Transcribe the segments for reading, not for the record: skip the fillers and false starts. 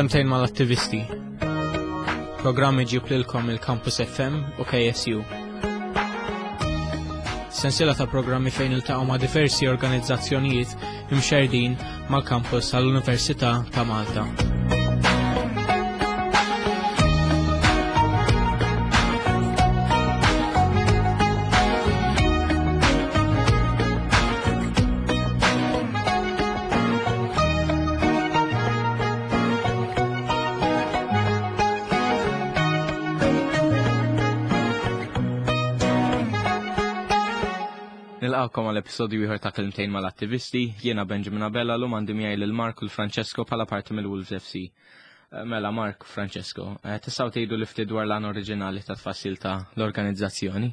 Kelmtejn mal-attivisti. Programm iġib lilkom il-Campus FM u KSU. Sensiela ta' programmi fejn iltaqgħu ma' diversi organizzazzjonijiet imxerdin mal-kampus tal-Università ta' Malta. Nilqakom għal episodju ieħor ta' Kelmtejn mal-Attivisti, jiena Benjamin Abella l għandi miegħi lil Mark u l-Francesco bħala parti mill-Wolves FC. Eh, mela Mark u Francesco, eh, tistgħu tgħidu li ftit dwar l-għan oriġinali ta' tfassil ta' l-organizzazzjoni?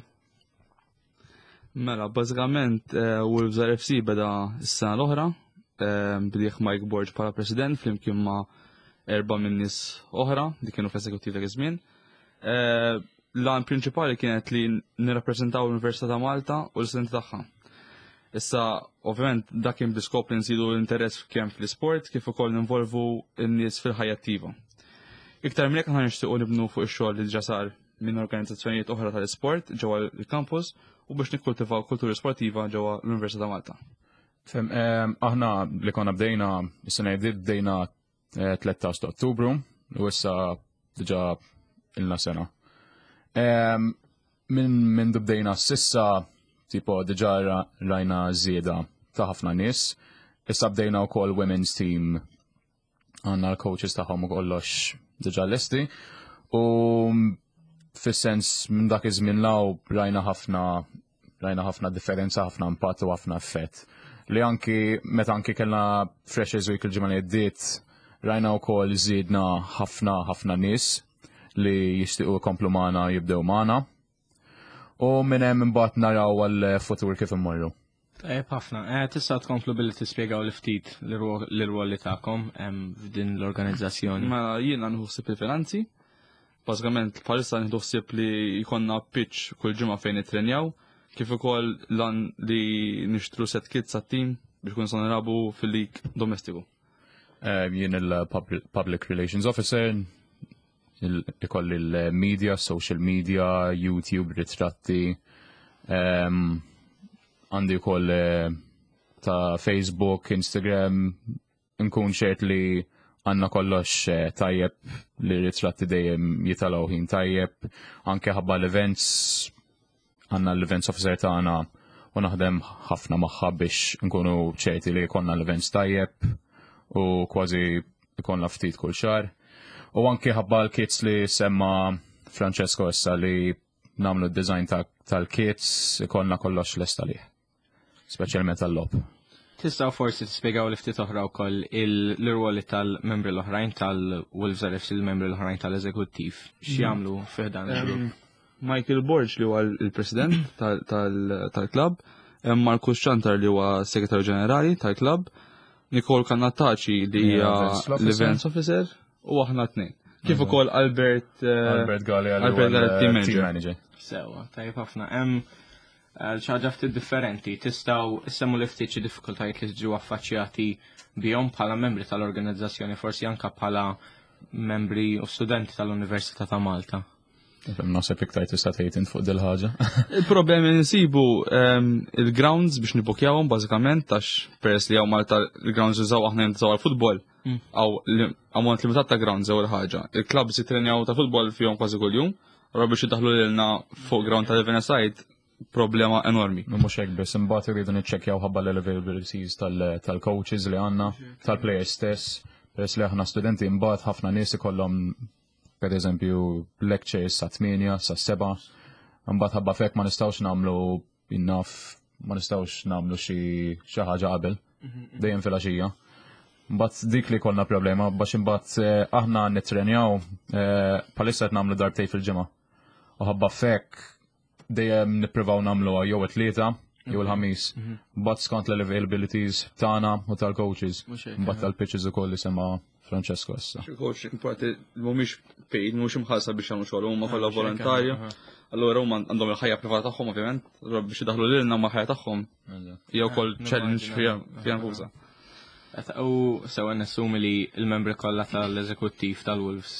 Mela, bażikament eh, Wolves RFC beda s-sena l-oħra, eh, bdieħ Mike Borg bħala president flimkien ma' erba' minn nies oħra li kienu fl-eżekuttiv dak iż-żmien. Eh, l-għan prinċipali kienet li nirrappreżentaw l-Università ta' Malta u l-istudenti tagħha. Issa, ovvjament, dak kien bl-iskop li nżidu l-interess kemm fl-isport kif ukoll ninvolvu n-nies fil-ħajja attiva. Iktar minn hekk aħna nixtiequ nibnu fuq ix-xogħol li ġa sar minn organizzazzjonijiet oħra tal-isport ġewwa l-kampus u biex nikkultivaw kultura sportiva ġewwa l-Università ta' Malta. Fem, ehm, aħna li konna bdejna, is-sena jdiet bdejna 13 eh, ta' Ottubru u issa diġa ilna sena. Ehm, minn minn bdejna sissa, tipo diġa rajna żieda ta' ħafna nies. Issa bdejna wkoll women's team għanna l-coaches tagħhom u kollox diġà lesti. U fis-sens minn dak iż-żmien law rajna ħafna rajna ħafna differenza, ħafna impatt u ħafna effett. Li anki meta anki kellna Freshers Week il-ġimgħa li għaddiet, rajna wkoll żiedna ħafna ħafna nies li jixtiequ jkomplu magħna jibdew magħna. U minn hemm imbagħad naraw għall-futur kif immorru. Tajjeb ħafna. Eh, tista' tkomplu billi tispjegaw li ftit l-irwol li tagħkom f'din l-organizzazzjoni. Mela jiena nieħu ħsieb il-finanzi. Bażikament bħalissa nieħdu ħsieb li jkollna pitch kull ġimgħa fejn nittrenjaw, kif ukoll lan li nixtru set kits għat-tim biex kun nistgħu nilagħbu fil-lig domestiku. Eh, jien il-Public Relations Officer, ikolli l-media, social media, YouTube, ritratti, ehm, għandi wkoll eh, ta' Facebook, Instagram, nkun ċert li għanna kollox eh, tajjeb li ritratti dejjem jitalaw ħin tajjeb, anke ħabba l-events, għanna l-events officer tagħna u naħdem ħafna magħha biex nkunu ċerti li jkollna l-events tajjeb u kważi jkollna ftit kull xahar. U anke ħabba l-kits li semma Francesco issa li namlu d-design tal-kits ikollna kollox lesta lih. Speċjalment tal-lob. Tistgħu forsi tispjegaw li ftit oħra wkoll l-irwoli tal-membri l-oħrajn tal-Wolves RFC il-membri l-oħrajn tal-eżekuttiv x'jagħmlu fih dan il-grupp. Michael Borg li huwa l-president tal-klabb, Marcus Ċantar li huwa segretarju ġenerali tal-klabb, Nicole Cannataci li hija l-events officer u aħna tnejn. Kif ukoll Albert eh, Albert Gallia Albert Gallia team manager. Sewa, tajjeb ħafna. Hemm eh, ħaġa ftit differenti, tistgħu issemmu li ftit xi diffikultajiet li tiġu affaċċjati bihom bħala membri tal-organizzazzjoni, forsi anka bħala membri u studenti tal-Università ta' Malta. Naħseb iktar tista' tgħid int fuq dil ħaġa. Il-problemi nsibu ehm, il-grounds biex nibukjawhom bażikament għax peress li hawn Malta il-grounds użaw aħna jintużaw għall-futbol. Mm. Għaw ammont limitat ta' grounds ewwel ħaġa. Il-clubs jittrenjaw ta' futbol fihom kważi kuljum, allura biex jidaħlu lilna fuq ground ta' Living Side problema enormi. Mhux hekk biss, imbagħad irridu niċċekkjaw ħabba l-availabilities tal-coaches li għandna, tal-players stess, peress li aħna studenti imbagħad ħafna nies ikollhom per eżempju lectures sa 8, sa 7, imbagħad ħabba fek ma nistgħux nagħmlu innaf ma nistgħux nagħmlu xi xi ħaġa qabel, dejjem filgħaxija. Mbagħad dik li konna problema biex imbagħad eh, aħna nittrenjaw eh, bħalissa qed nagħmlu darbtej fil-ġimgħa. U ħabba fek dejjem nippruvaw nagħmluha jew it-tlieta jew il-ħamis. Mhm. But skont l-availabilities tagħna u tal-coaches. Mbagħad tal-pitches ukoll li sema Francesco issa. Coach, importanti mhumiex paid, mhumiex imħallsa biex jagħmlu xogħol, huma kollha volontarju. Allura huma għandhom il-ħajja privata tagħhom ovvjament, allura biex idaħlu lilna ma' ħajja tagħhom. Jew ukoll challenge fiha nfusa. U sewa nassumi li l-membri kollha tal-eżekuttiv tal-Wolves,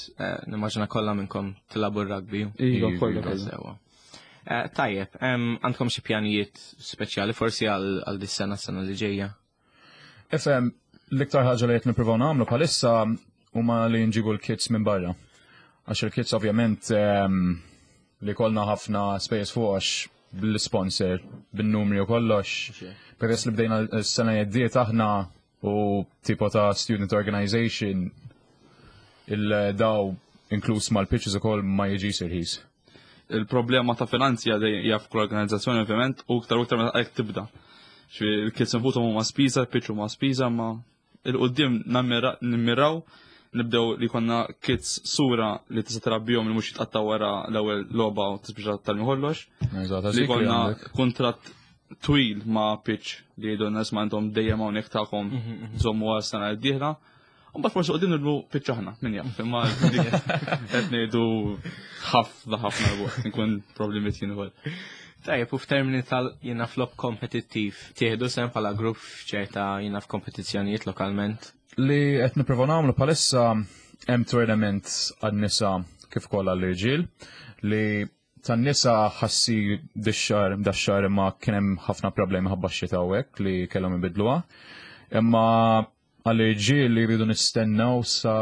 nimmaġina kollha minnkom tilagħbu r-rugby. Iva, kollha. Sewa. Tajjeb, għandkom xi pjanijiet speċjali forsi għal dis-sena sena li ġejja? Ifhem, l-iktar ħaġa li qed nippruvaw nagħmlu bħalissa huma li nġibu l-kits minn barra. Għax il-kits ovvjament li kollna ħafna spejjeż fuq għax bl-sponsor, bin-numri u kollox. Peress li bdejna s-sena jeddiet aħna u tipo ta' student organization il-daw inkluż mal-pitches ukoll ma jiġix irħis. Il-problema ta' finanzi hija f'kull organizzazzjoni ovvjament u iktar u iktar meta qed tibda. Il-kits infushom huma spiża, il-pitch huma spiża, ma il-qudiem nimmiraw nibdew li konna kits sura li tista' tarabbihom li mhux jitqatta' wara l-ewwel logħba u tispiċċa tal kollox. Li konna kuntratt twil ma' pitch li jgħidu n-nies ma' intom dejjem hawnhekk tagħkom żommu għal sena d-dieħla. U mbagħad forsi qudiem nibnu pitch aħna, min jaf, imma qed ngħidu ħafna ħafna l nkun problemi jien ukoll. Tajjeb, u f'termini tal jiena flop kompetittiv, tieħdu sehem bħala grupp f'ċerta jiena f'kompetizzjonijiet lokalment? Li qed nipprova nagħmlu bħalissa hemm tournament għan-nisa kif ukoll għall-irġiel li tan-nisa ħassi dix-xahar dax-xahar imma kien hemm ħafna problemi ħabba x-xita u hekk li kellhom ibidluha. Imma għall-irġiel li jridu nistennew sa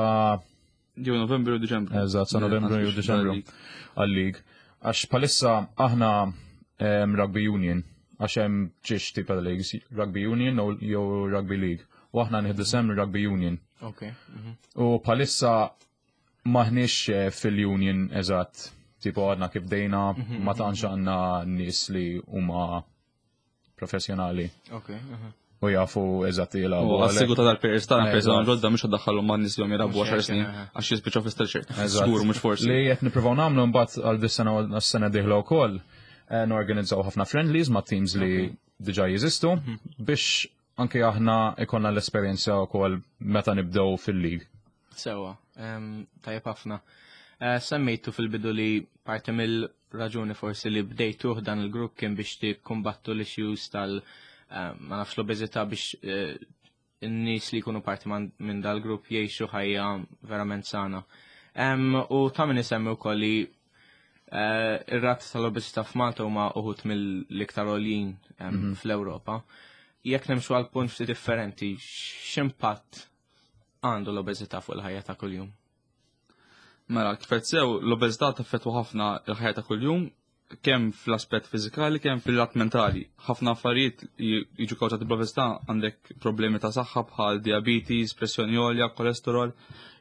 Jew Novembru u Diċembru. Eżatt, sa Novembru jew Diċembru għal-lig. Għax bħalissa aħna Rugby Union, għax hemm ġiex tipa ta' leagues, Rugby Union jew Rugby League. U aħna nieħdu sem Rugby Union. Ok. U bħalissa maħniex fil-union eżatt, tipo għadna kif bdejna, ma tantx għandna nies li huma professjonali. Ok. U jafu eżatt jilagħbu. U għas-sigu ta' dal-players tagħna players tagħna ġodda mhux għaddaħħalhom ma' nies li jilagħbu 10 snin għax jispiċċaw fi stretcher. Żgur mhux forsi. Li qed nippruvaw nagħmlu mbagħad għal dis-sena u s-sena dieħla wkoll norganizzaw ħafna friendlies ma' teams li diġà jeżistu biex anke aħna ikollna l-esperjenza wkoll meta nibdew fil-league. Sewa, tajjeb ħafna. Semmejtu fil-bidu li parti mill-raġuni forsi li bdejtuh dan il-grupp kien biex tikkumbattu l-issues tal- ma nafx l-obeżità biex in-nies li jkunu parti minn dal-grupp jgħixu ħajja verament sana. U ta' min isemmi wkoll li ir-rati tal-obeżità f'Malta huma uħud mill-iktar għoljin fl-Ewropa. Jekk nimxu għal punt ftit differenti, x'impatt għandu l-obeżità fuq il-ħajja ta' kuljum? Mela, kif qed sew, l-obeżità taffettwa ħafna il-ħajja ta' kuljum, kemm fl-aspett fiżikali, kemm fil-lat mentali. Ħafna affarijiet jiġu kawżati bl-obeżità, għandek problemi ta' saħħa bħal diabetes, pressjoni għolja, kolesterol,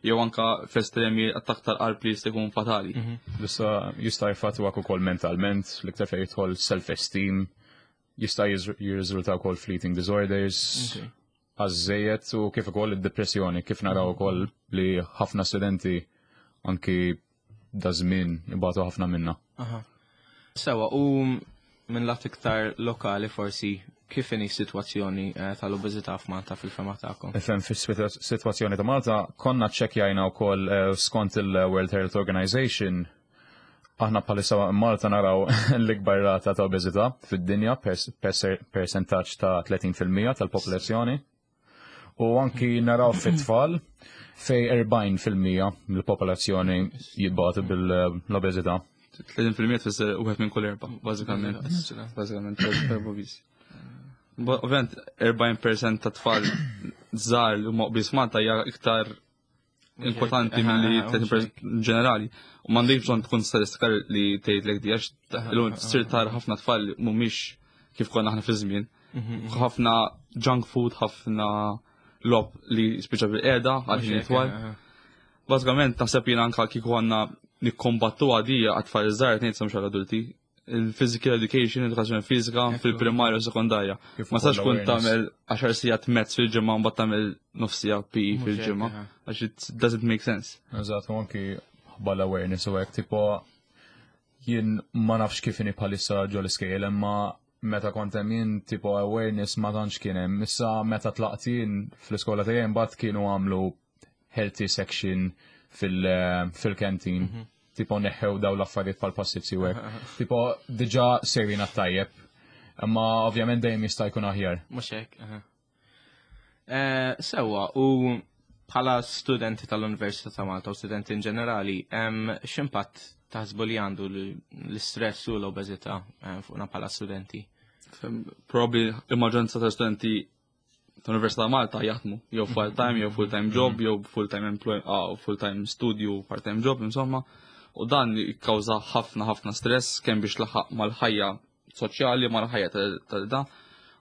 jew anka fl-estremi attakk tal-qalb li jista' jkun fatali. Issa jista' jfattwak ukoll mentalment, l-iktar fejn jidħol self-esteem, jista' jirriżulta wkoll fl-eating disorders, għażżejjed u kif ukoll id-depressjoni, kif naraw ukoll li ħafna studenti anki da żmien ibatu ħafna minna. Sewa, u minn lat iktar lokali forsi, kif inhi s-sitwazzjoni tal-obeżità f'Malta fil-fema tagħkom? Ifhem, fis-sitwazzjoni ta' Malta konna ċċekkjajna wkoll skont il-World Health Organization, aħna bħalissa Malta naraw l-ikbar rata ta' obeżità fid-dinja percentaġġ ta' 30% tal-popolazzjoni. U anki naraw fit-tfal fej 40% mill-popolazzjoni jibbatu bil-obeżità. 30% tfisser wieħed minn kull erba', bażikament. Bażikament, erba' biss. Ovvjament, 40% ta' tfal żgħar li huma obese Malta hija iktar inkwetanti milli 30% ġenerali. U m'għandekx bżonn tkun statistika li tgħidlek di għax illum tsir tara ħafna tfal li mhumiex kif konna aħna fi żmien. Ħafna junk food, ħafna logħob li spiċċa bil-qiegħda għal ħin itwal. Bażikament naħseb jiena anka kieku għandna nikkombattu għadija għat-tfal iż-żgħar qed ngħid mhux għall-adulti. Il-physical education, edukazzjoni fiżika fil-primarja u sekondarja. Kif Ma sax ukoll kun awareness. tagħmel 10 sigħat maths fil-ġimgħa mbagħad tagħmel nofs siegħa PE Mhux hekk, fil-ġimgħa. Għax it doesn't make sense. Eżatt, u anki ħabba l-awareness u hekk, tipo jien ma nafx kif inhi bħalissa ġol iskejjel, imma meta kont hemm jien tipo awareness ma tantx kien hemm. Issa meta tlaqt jien fl-iskola tiegħi mbagħad kienu għamlu healthy section fil-canteen. Tipo neħħew daw l-affarijiet bħal pastizzi u hekk. Tipo diġà sejrin għat-tajjeb. Imma ovvjament dejjem jista' jkun aħjar. Mhux hekk, aha. Eh, sewwa, u bħala studenti tal-Università ta' Malta u studenti in ġenerali, x'impatt taħsbu li għandu l-istress u l-obeżità eh, fuqna bħala studenti? Probably il-maġġoranza ta' studenti tal-Università ta' Malta jaħdmu jew part-time, jew full-time job, jew full-time employ, ah, full-time studio, part-time job, insomma. U dan jikkawża ħafna ħafna stress kemm biex laħaq mal-ħajja soċjali, mal-ħajja tal-da.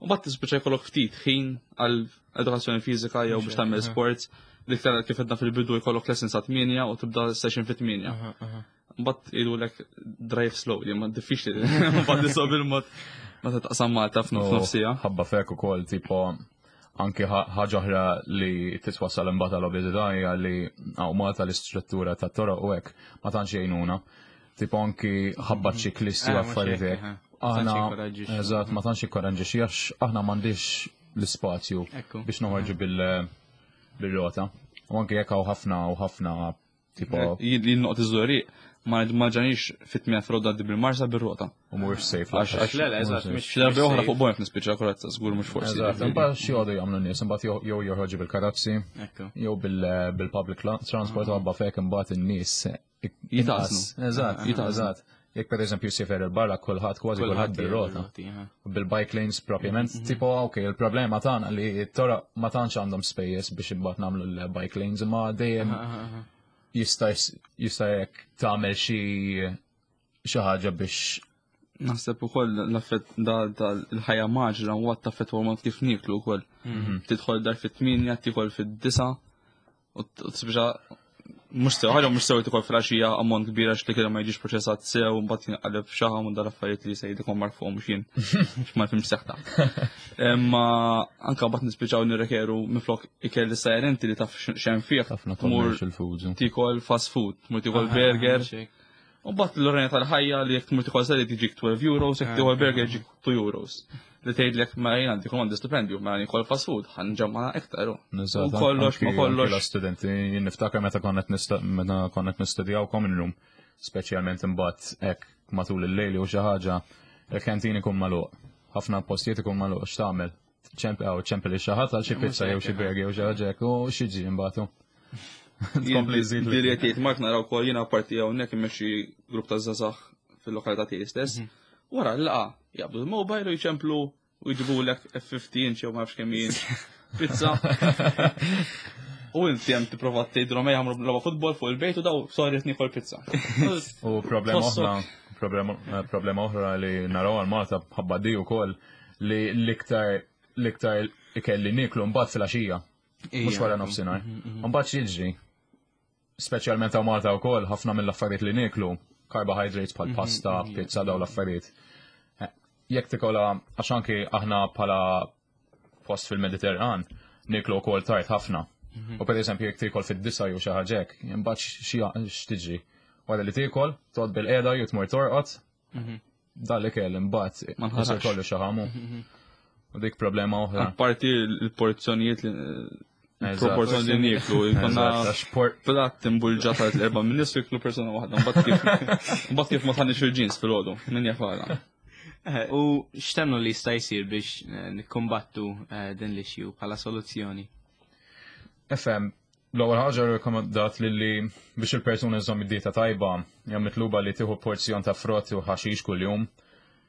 U bat tispiċċa jkollok ftit ħin għal edukazzjoni fiżika jew biex tagħmel sports. L-iktar kif edna fil-bidu jkollok lesson sa' 8 u tibda session fit-8. Mbagħad jgħidulek drive slowly, ma diffiċli. Mbagħad nisob il-mod meta taqsam Malta f'nofsija. Ħabba fek ukoll tipo anki ħaġa oħra li titwassal imbagħad għal obeżità hija li hawn Malta l-istruttura tat-toroq u hekk ma tantx jgħinuna. Tipo anki ħabba mhm. ċiklisti u eh, affarijiet hekk. Aħna eżatt ma tantx jikkoraġġixxi għax aħna m'għandix l-ispazju biex noħorġu bil-rota. U anki jekk hawn ħafna u ħafna Tipo. Jien noqgħod iż-żoriq ma ma ġanix fit-tmien froda għaddi bil-marsa bir-rota. U mhuwiex safe. Għax għax le le eżatt mhux. Xi darba oħra fuq bojf nispiċċa karozza żgur mhux forsi. Eżatt, imbagħad xi jgħodu jagħmlu nies, imbagħad jew joħorġu bil-karozzi, jew bil-public transport u għabba fek imbagħad in-nies jitaqsnu. Eżatt, eżatt. Jekk per eżempju sifer il-barra kulħadd kważi kulħadd bir-rota. Bil-bike lanes propjament, mhm. tipo ok, il-problema tagħna li t-toroq ma tantx għandhom spejjeż biex imbagħad nagħmlu l-bike lanes, imma dejjem jista' jista' jekk tagħmel xi xi ħaġa biex Naħseb ukoll l-affett da l-ħajja maġra u għat taffett mod kif nieklu wkoll. Mhm. Tidħol dar fit-8, tikol fid-9 u t-sbġa mux sew, ħaġa mux sew tikol fil-għaxija ammont kbira għax li kien ma jiġix proċessat sew, mbagħad jinqaleb xaħam u dar affarijiet li se jidkom mar fuqhom mhux jien. Ma nifhimx seħta. Imma anka mbagħad nispiċaw nirrekeru minflok ikel li sajr inti li taf xemm fih. Ħafna commercial foods. Tikol fast food, mur tikol burger. U bat l-oranja tal-ħajja li jekk tmur tikol salad jiġik 12 euros, jekk tikol burger jiġik 2 euros. Li tgħidlek ma jien għandi għandi stipendju, ma jien fast food, ħanġamma iktar. U kollox ma kollox. Studenti, jien niftakar meta konnet meta konnet nistudjaw common room, speċjalment imbagħad hekk matul il-lejl u xi ħaġa, il-kantin ikun magħluq. Ħafna postijiet ikun magħluq x'tagħmel? ċempel li xi ħadd għal xi pizza jew xi burger jew xi ħaġa hekk u xiġi imbagħad. Tkompli żid. Dili qed jgħid Mark naraw ukoll jiena parti hawnhekk immexxi grupp ta' żgħażagħ fil-lokalità tiegħi stess. Mhm. Wara l-laqa jaqbdu l-mobile u jċemplu u jġibulek F50 inch jew ma nafx kemm pizza. U inti hemm tipprova tgħidilhom ejja ħamru logħba futbol fuq il-bejt u daw sorry qed niekol pizza. U problema oħra, eh, problema oħra li naraw għal Malta bħabba di wkoll li l-iktar l-iktar ikel li nieklu mbagħad fil-għaxija. Mhux wara nofsinhar. Mhm, mhm. Mbagħad x'jiġri? Speċjalment hawn Malta wkoll ħafna mill-affarijiet li nieklu, carbohydrates bħal mhm, pasta, pizza daw l-affarijiet. Eh, jekk tikola għax anki aħna bħala post fil-Mediterran nieklu wkoll tard ħafna. U per eżempju jekk tiekol fid-disa jew xi ħaġa hekk, imbagħad x'tiġri. Wara li tiekol, toqgħod bil-qiegħda jew tmur torqod, mhm. Dan li kell imbagħad ma nħassar kollu xaħamu. Mhm. U dik problema oħra. Apparti l-porzjonijiet li proporzjon li nieklu, jkollna platt imbulġa ta' l-erba' minn nies jiklu persuna waħda, mbagħad kif ma tħannix il-ġins fil-għodu, min jafala. Eh, u x'temnu li jista' jsir biex eh, nikkumbattu eh, din l-issue bħala soluzzjoni? FM, L-ewwel ħaġa rikomandat li li biex il-persuna żżomm id-dieta tajba hija mitluba li tieħu porzjon ta' frott u ħaxix kuljum,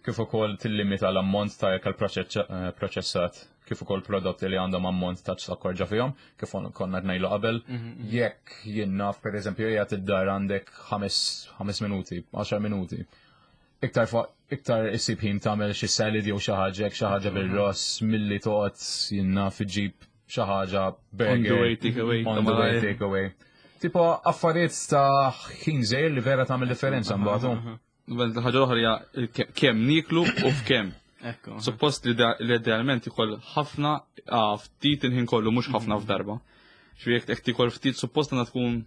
kif ukoll tillimita l-ammont ta' ikel eh, proċessat, kif ukoll prodotti li għandhom ammont ta' zokkor ġo fihom, kif konna ngħidu qabel. Mhm, mhm. Jekk jien naf pereżempju qiegħed id-dar għandek ħames minuti, 10 minuti. Iktar iktar issib ħin tagħmel xi salad jew xi ħaġa, xi ħaġa mhm. bil-ross milli toqgħod jien naf iġib xi ħaġa burger. On the way take away. On the way take away. Tipo affarijiet ta' ħin żejr li vera tagħmel differenza mbagħad. Ħaġa oħra hija kemm niklu u f'kemm. Suppost li idealment ikoll ħafna ftit il-ħin kollu mhux ħafna mhm. f'darba. Xi jekk tikol ftit suppost għandha tkun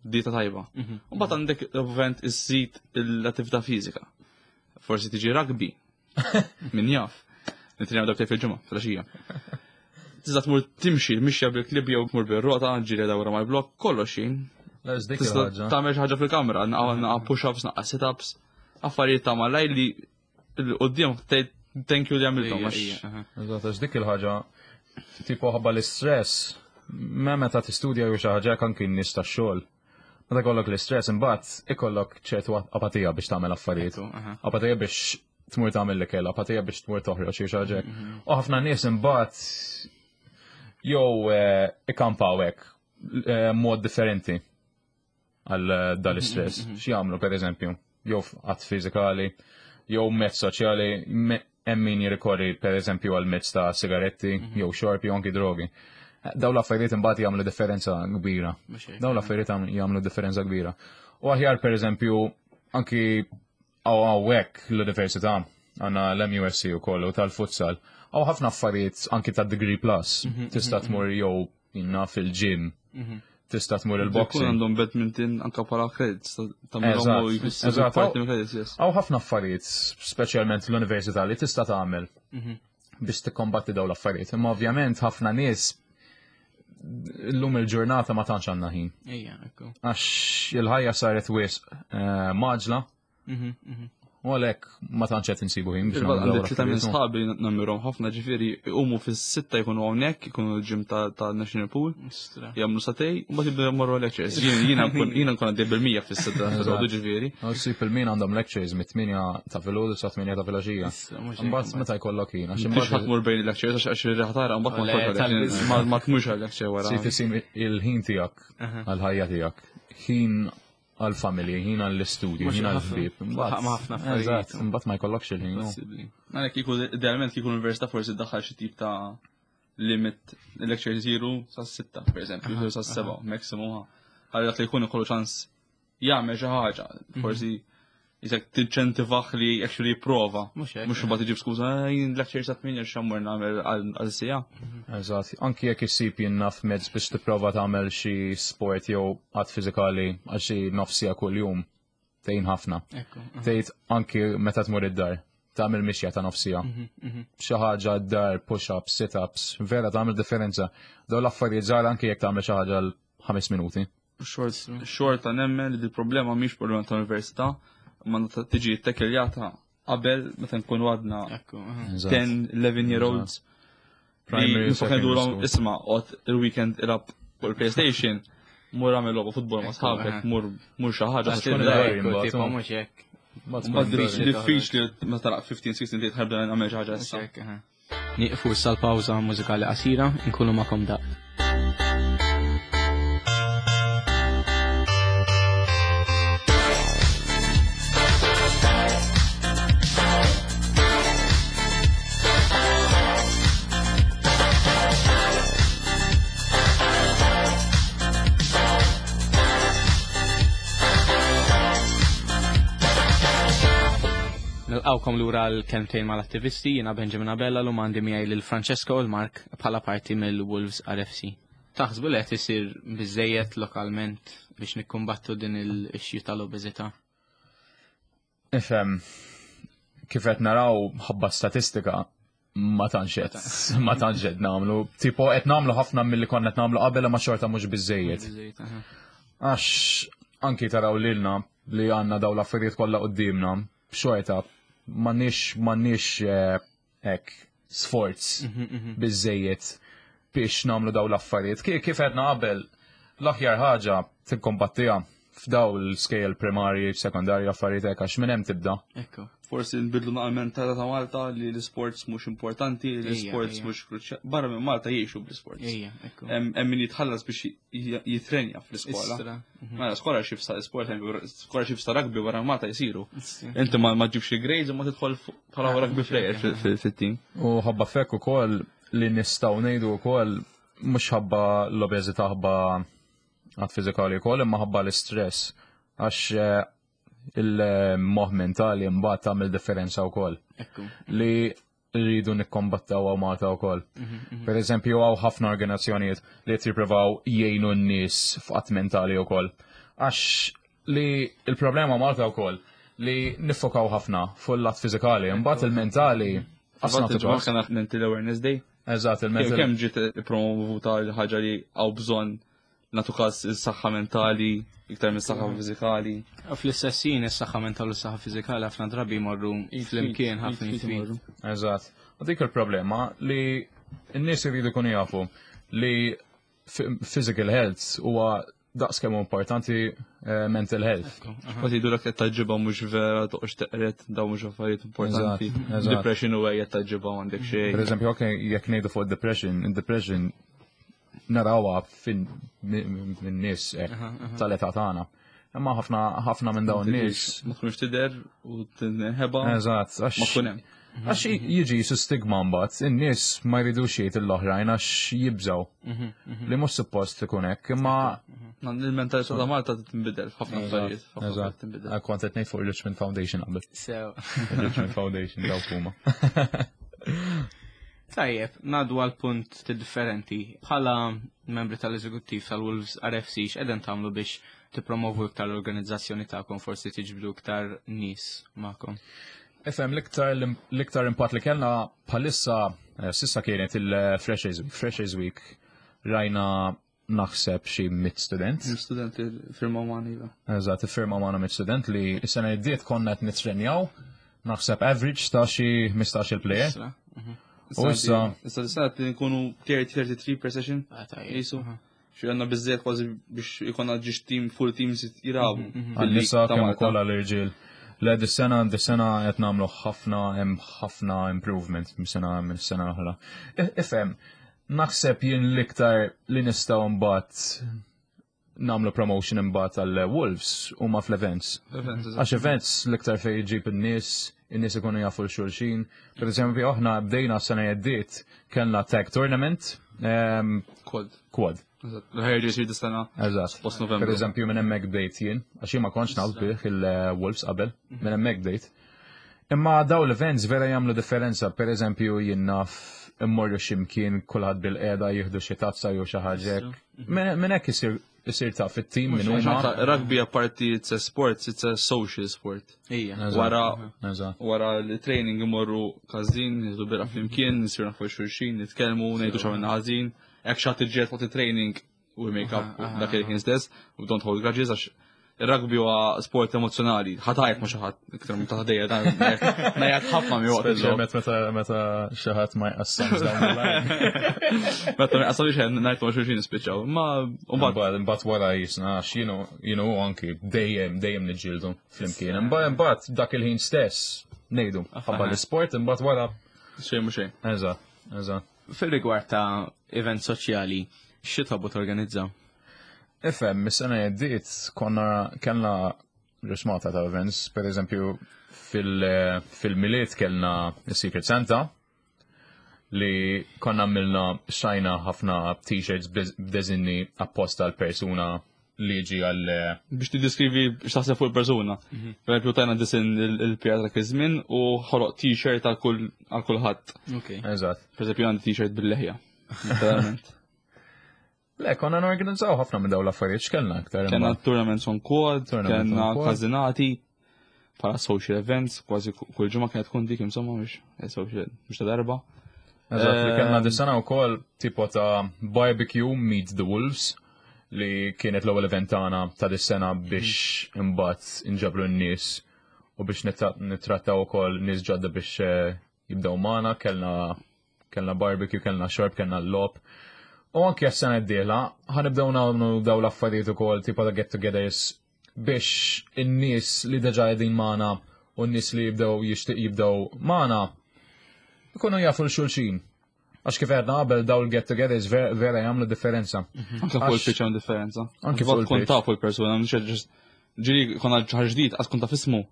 dieta tajba. Mhm. U mbagħad għandek ovvjament iżżid l-attività fiżika. Forsi tiġi rugby, Min jaf. Nitrenjaw darbtej fil-ġimgħa, fil-għaxija. Tista' tmur timxi, mixja bil-klib jew tmur bir-rota, ġiri dawra mal-blok, kollox jien. Tista' tagħmel xi ħaġa fil-kamra, naqgħu push-ups, naqgħa sit-ups, affarijiet ta' malaj li l-qudiem thank you li għamilthom. Eżatt, għax dik il-ħaġa. Tipo ħabba l-istress, ma meta tistudja jew xi ħaġa anki n-nies tax-xogħol. Meta jkollok l-istress imbagħad ikollok ċertu apatija biex tagħmel affarijiet. Apatija biex tmur tagħmel l-ikel, apatija biex tmur toħroġ jew xi ħaġa. U ħafna nies imbagħad jew eh, ikampaw hekk eh, mod differenti għal eh, dal-istress. X'jagħmlu pereżempju? Jew att fiżikali, jew mezz soċjali, hemm min jirrikorri pereżempju għal mezz ta' sigaretti, jew xorb, jew anki drogi. Daw l-affarijiet imbagħad jagħmlu differenza kbira. Daw l-affarijiet jagħmlu differenza kbira. U aħjar pereżempju anki hawnhekk l-università għandna l-MUSC u kollu tal-futsal. Hawn ħafna affarijiet anki ta' degree plus. Tista' tmur jew jinna fil-gym. Tista' tmur il-boxing. Għandhom badminton anka bħala credits ta' credits, yes. Hawn ħafna affarijiet, speċjalment l-università li tista' tagħmel biex tikkombatti dawn l-affarijiet. Imma ovvjament ħafna nies illum il-ġurnata ma tantx għandna ħin. Għax il-ħajja saret wisq eh, maġla. U għalhekk ma tantx qed insibu ħin biex nagħmlu. Għandi tlieta minn sħabi nammirhom ħafna ġifieri jqumu fis-sitta jkunu hawnhekk, ikunu l-ġim ta' National Pool. Jagħmlu satej, u mbagħad jibdew jmorru lectures. Jiena nkun jiena nkun għaddej bil-mija fis-sitta filgħodu ġifieri. Ssib il-min għandhom lectures mit-8 ta' filgħodu sa 8 ta' filgħaxija. Mbagħad meta jkollok ħin għax imbagħad ħadd mur bejn il-lectures għax ir-riħa tara mbagħad ma tmurx għal-lecture wara. Si il-ħin tiegħek għall-ħajja tiegħek. Ħin għal-familji, ħin għall-istudju, ħin għall-ħbieb. Mbagħad ħafna Mbagħad ma jkollokx il-ħin. Għalhekk kieku idealment kieku l-università forsi ddaħħal xi tip ta' limit lecture jisiru sa' sitta, per eżempju, sa' seba, maximum. Ħalli dak li jkun ikollu ċans jagħmel xi ħaġa, forsi jisek tinċentivaħ li actually jipprova. Mhux imbagħad iġib skuża, eh, jien lecture sa tminja x'ammur nagħmel għal sija. Eżatt, anki jekk issib jien naf mezz biex tipprova tagħmel xi sport jew att fiżikali għal xi nofsija kuljum, tgħin ħafna. Tgħid anki meta tmur id-dar, tagħmel mixja ta' nofsija. Mhm, mhm. Xi ħaġa d-dar, push-ups, sit-ups, vera tagħmel differenza. Dawn l-affarijiet żgħar anki jekk tagħmel xi ħaġa għal ħames minuti. Xorta nemmen li dil-problema mhix problema ta' università, ma tiġi ttekiljata qabel meta nkunu għadna 10, 11 year olds. Primary Isma' qod il-weekend ilab fuq il-PlayStation, mur għamil logħba futbol ma' sħabek, mur mur xi ħaġa. Mhux hekk. Diffiċli meta talaq 15, 16 tgħid ħarbda nagħmel xi ħaġa issa. Nieqfu issa l-pawża mużikali qasira, inkunu magħkom daqt. Nilqawkom lura l-kelmtejn mal-attivisti, jiena Benjamin Abella l għandi miegħi lil Francesco u l-Mark bħala parti mill-Wolves RFC. Taħsbu li qed isir biżejjed lokalment biex nikkumbattu din il-issue tal-obeżità? Ifhem, kif qed naraw ħabba statistika ma tantx qed ma tantx qed nagħmlu. Tipo qed nagħmlu ħafna milli konna qed nagħmlu qabel ma xorta mhux biżejjed. Għax anki taraw lilna li għandna daw l-affarijiet kollha quddiemna, xorta m'għandniex m'għandniex eh, hekk sforz mhm, mhm. biżejjed biex nagħmlu daw l-affarijiet. Kif għedna qabel, l-aħjar ħaġa tikkombattiha f'daw l-scale primarji, sekondarji, affarijiet hekk għax minn hemm tibda. Ekku. Forsi nbidlu naqal mentalità ta' Malta li l-sports mhux importanti, l-sports mhux kruċjali. Barra minn Malta jgħixu bl-sports. Hemm min jitħallas biex jitrenja fl-iskola. Mhm. Mela scholarship sa' sport, scholarship sa' rugby barra Malta jisiru. Inti ma ġibx il-grades u ma tidħol bħala rugby player fit-team. U ħabba fekk ukoll li nistgħu ngħidu wkoll mhux ħabba l-obeżità ħabba għad fiżikali wkoll imma ħabba l-istress għax eh, il-moħ mentali mbagħad tagħmel differenza wkoll. Li rridu nikkombattaw għaw Malta wkoll. Mhm, mhm. Per eżempju, għaw ħafna organizzazzjonijiet li qed jippruvaw jgħinu n-nies f'qatt mentali wkoll. Għax li il-problema Malta wkoll li nifokaw ħafna fuq l-lat fiżikali, imbagħad il-mentali Għasna Mental Awareness Day. Eżatt, il-mental. Kemm ġiet promovuta l-ħaġa li għaw bżonn natu każ is-saħħa mentali iktar minn saħħa fiżikali. Fl-istess ħin is-saħħa mentali u s-saħħa fiżikali ħafna drabi jmorru flimkien ħafna jitfid. Eżatt. U dik il-problema li In-nies iridu jkunu jafu li physical health huwa daqs kemm importanti mental health. Ma tgħidu l qed taġġibha mhux vera toqgħodx teqret dawn mhux affarijiet importanti. Depression huwa qed taġġibha m'għandek xejn. Per eżempju, ok, jekk ngħidu fuq depression, depression narawha fin nies tal-età tagħna. Imma ħafna ħafna minn dawn nies ma tkunx tidher u tinħeba. Eżatt, għax ma tkun hemm. Għax jiġi su stigma mbagħad, in-nies ma jridux jgħid l-oħrajn għax jibżgħu. Li mhux suppost ikun hekk, imma Il-mentalità ta' Malta tinbidel f'ħafna affarijiet. Eżatt. Tinbidel. Kont qed ngħid fuq il-Richmond Foundation qabel. Sew. Richmond Foundation dawk huma. Tajjeb, ngħaddu għal punt differenti. Bħala membri tal-eżekuttiv tal-Wolves RFC, x'qegħdin tagħmlu biex tippromovu iktar l-organizzazzjoni tagħkom, forsi tiġbdu iktar nies magħkom? Ifhem, l-iktar impatt li kellna bħalissa s'issa kienet il-Freshers Week. Freshers Week rajna naħseb xi 100 student. 100 student li firmaw magħna, iva. Eżatt, iffirmaw magħna 100 student li s-sena li għaddiet konna qed nitrenjaw naħseb average ta' xi 15 il-player. Issa, U issa Issa l-sena qed nkunu 33 per session. Ah, tajjeb. Jisu. Xi għandna biżżejjed kważi biex ikonna ġiex team, full teams jilagħbu. Għan-nisa Ta' kemm Malta. ukoll għall-irġiel. Le, dis-sena qed nagħmlu ħafna, hemm ħafna improvement minn sena l-oħra. Ifhem, naħseb jien l-iktar li nistgħu mbagħad nagħmlu promotion imbagħad għal Wolves huma fl-events. Events, eżatt. Għax events l-iktar fejn jġib in-nies, in-nies ikunu jafu l-xulxin. Per eżempju, aħna bdejna s-sena għaddiet kellna tag tournament, Quad. Quad. Eżatt. L-ħajja ġej dis-sena. Eżatt. Post Novembru. Per eżempju, minn hemmhekk bdejt jien, għax jien ma kontx naf bih il-Wolves qabel, minn hemmhekk bdejt. Imma daw l-events vera jagħmlu differenza, per eżempju jien naf immorru x'imkien kulħadd bil-qiegħda jieħdu xi tazza jew xi ħaġa hekk. Minn hekk isir taf it-tim minn Mhux huma. anka Rugby apparti it's a sport, it's a social sport. Ija. Eżatt. Wara l-training imorru każin, nieħdu birra flimkien, nisiru nafu xulxin, nitkellmu, ngħidu x'għamilna ħażin. Hekk xi ħadd iġġieled waqt it-training, we make up dak il-ħin stess, we don't hold grudges għax ir-rugby huwa sport emozjonali. Ħatajt ma xi ħadd iktar minn ta' ħdejja dan ngħid ħafna mi waqt il-logħob. Speċjalment meta xi ħadd ma jqassamx dawn il-line. Meta ma jqassamx xejn ngħid ma xulxin nispiċċaw. Imma mbagħad Mbagħad wara jisna għax jienu anki dejjem niġġieldu flimkien. Imbagħad dak il-ħin stess ngħidu ħabba l-isport, imbagħad wara xejn mhux xejn. Eżatt, eżatt. Fil-rigward ta' event soċjali, xi tħobbu torganizzaw? Ifhem, mis-sena għaddiet konna kellna rismata ta' events, per eżempju fil-Milied kellna Secret Santa li konna għamilna xajna ħafna t-shirts b'deżinni apposta għal persuna li ġi għal Biex tiddiskrivi x'taħseb fuq il-persuna. Per eżempju tajna disin il-pjata dak iż-żmien u ħoloq t-shirt għal kulħadd. Eżatt. Per eżempju għandi t-shirt bil-leħja. Literalment. Le, konna norganizzaw ħafna minn dawn l-affarijiet x'kellna aktar. Kellna imbagħad. tournaments on quad, Tournaments kellna on quad. każinati, bħala social events, kważi kull ġimgħa kienet tkun dik insomma mhux social mhux ta' darba. Eżatt, li kellna dis-sena wkoll tipo ta' barbecue Meet the Wolves li kienet l-ewwel event tagħna ta' dis-sena biex imbagħad inġabru n-nies u biex nittrattaw ukoll nies ġodda biex jibdew magħna, kellna barbecue, kellna xorb, kellna l-logħob. U anke s-sena d-dieħla ħanibdew nagħmlu daw l-affarijiet ukoll tipo ta' get-togethers biex in-nies li diġà qegħdin magħna u n-nies li jibdew jixtieq jibdew magħna ikunu jafu l-xulxin. Għax kif għedna qabel daw l-get-togethers vera jagħmlu differenza. Anke fuq il-pitch hawn differenza. Anke Anke fuq tkun il-pitch. tafu l-persuna, mhux qed just ġieli konna ħaġa ġdid, għas tkun taf ismu.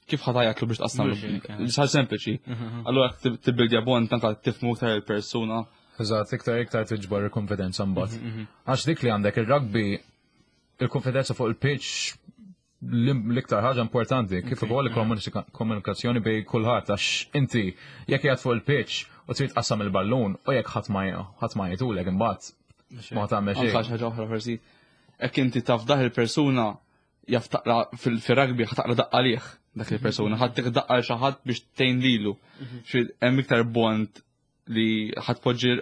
Kif ħa tgħajjatlu biex tqassam? Mhux hekk, eh. Ħaġa sempliċi. Allura jekk tibbildja bond anke tifhmu iktar il-persuna. Eżatt, iktar tiġbor il-konfidenza mbagħad. Għax dik li għandek il-rugby, il-konfidenza fuq il-pitch l-iktar ħaġa importanti, kif ukoll il-komunikazzjoni bej kulħadd, għax inti jekk qiegħed fuq il-pitch u trid tqassam il-ballun u jekk ħadd ma jgħidulek imbagħad ma tagħmel Anke xejn. ħaġa oħra forsi. Jekk inti taf dah il-persuna jaf taqra fil-rugby ħa taqra daqqa għalih dak il-persuna, ħadd tik daqqa xi ħadd biex tgħin lilu. Xi hemm iktar bond li ħadd poġġi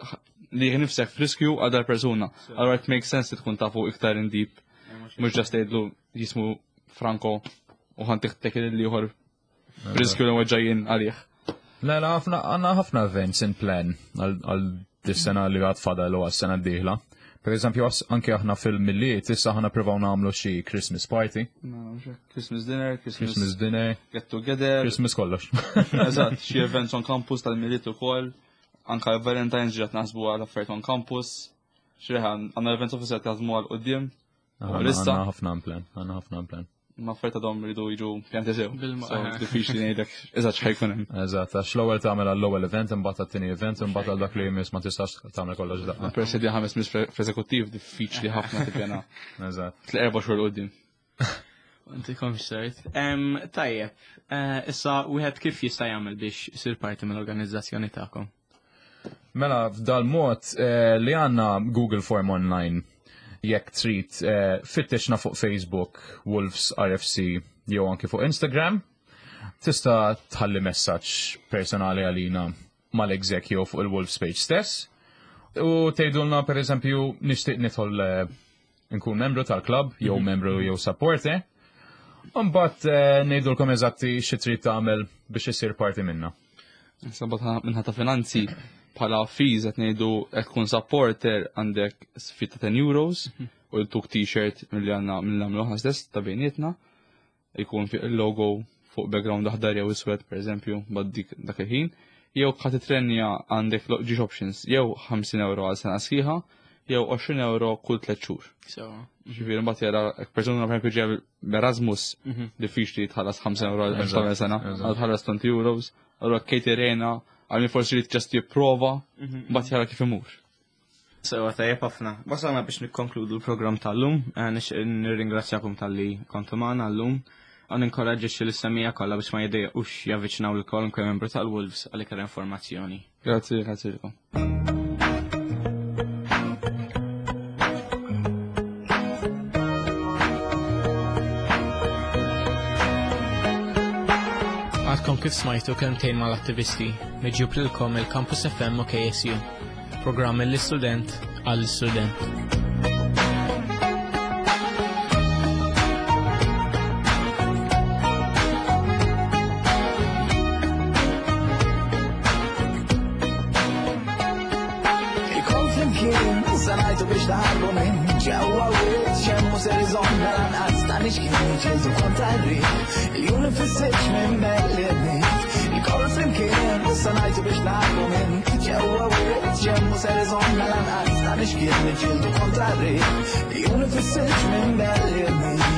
li nifsek f'riskju għal dal-persuna. Allura it makes sense li tkun tafu iktar in deep. Mhux just tgħidlu jismu Franco u ħan tiħtek li ieħor riskju li weġġajjin għalih. Le, le, għandna ħafna events in plan għal dis-sena li għad fadal u għas-sena d-dieħla. Per eżempju, anke aħna fil-Milied, issa aħna provaw nagħmlu xi Christmas party. Christmas dinner, Christmas dinner, get together. Christmas kollox. Eżatt, xi events on campus tal-Milied ukoll. Anka Valentine's ġiet naħsbu għal affarijiet on campus. Xi għandna events officer jaħdmu għal quddiem. Għandna ħafna plan, għandna ħafna plan. Ma affarijiet għadhom iridu jiġu pjanti sew. Diffiċli ngħidlek eżatt x'ħajkun hemm. Eżatt, għax l-ewwel tagħmel għall-ewwel event, imbagħad għat-tieni event, imbagħad għal dak li jmiss ma tistax tagħmel kollox daqqa. Peress li ħames mis f'eżekuttiv diffiċli ħafna tippjana. Eżatt. Tl erba' xhur quddiem. Inti sert. Tajjeb, issa wieħed kif jista' jagħmel biex isir parti mill-organizzazzjoni tagħkom? Mela, f'dal mod li għandna Google Form online, jekk trid fittixna fuq Facebook, Wolves RFC, jew anki fuq Instagram, tista' tħalli messaġġ personali għalina mal-exec jew fuq il-Wolves page stess. U tgħidulna per eżempju nixtieq nidħol nkun membru tal-klabb jew membru jew supporter. Mbagħad ngħidulkom eżatti xi trid tagħmel biex isir parti minna. Sabat minħata finanzi bħala fees qed ngħidu qed tkun supporter għandek fee ta' 10 euros u l-tuk t-shirt milli għandna mill nagħmlu aħna stess ta' bejnietna jkun fuq il-logo fuq background aħdar jew iswed pereżempju bad dik dak il-ħin. Jew ħa titrenja għandek ġiex options jew 50 euro għal sena sħiħa jew 20 euro kull 3 xhur. Ġifieri mbagħad jara jekk persuna pereżempju ġej b'Erasmus diffiċli tħallas 50 euro għal tagħmel sena, għal tħallas 20 euros, allura Katie Rena għal min forsi li just jipprova mbagħad jara kif imur. Sewa tajjeb ħafna. Wasalna biex nikkonkludu l-programm tal-lum, nixtieq nirringrazzjakom talli kontu magħna llum. Għan inkoraġġixxi lis-semmiegħa kollha biex ma jiddejjaqux javviċinaw lil kwalunkwe membru tal-Wolves għal iktar informazzjoni. Grazzi, grazzi lilkom. Għadkom kif smajtu kelmtejn mal-attivisti miġjub lilkom il-Campus FM u KSU. Programm mill-istudent għall-istudent. Il-kol flimkien, sanajtu biex taħarbu minn ġewwa wiċċ, hemm mhu ser iżommna lanqas ta' nixkien niġġieldu kontra r-riħ. Il-jum ifissirx minn belli bniet. Il-kol flimkien, sanajtu biex taħarbu minn ġewwa wiċċ, hemm mhu ser iżommna lanqas ta' nixkien niġġieldu kontra r-riħ. Il-jum ifissirx minn belli bniet.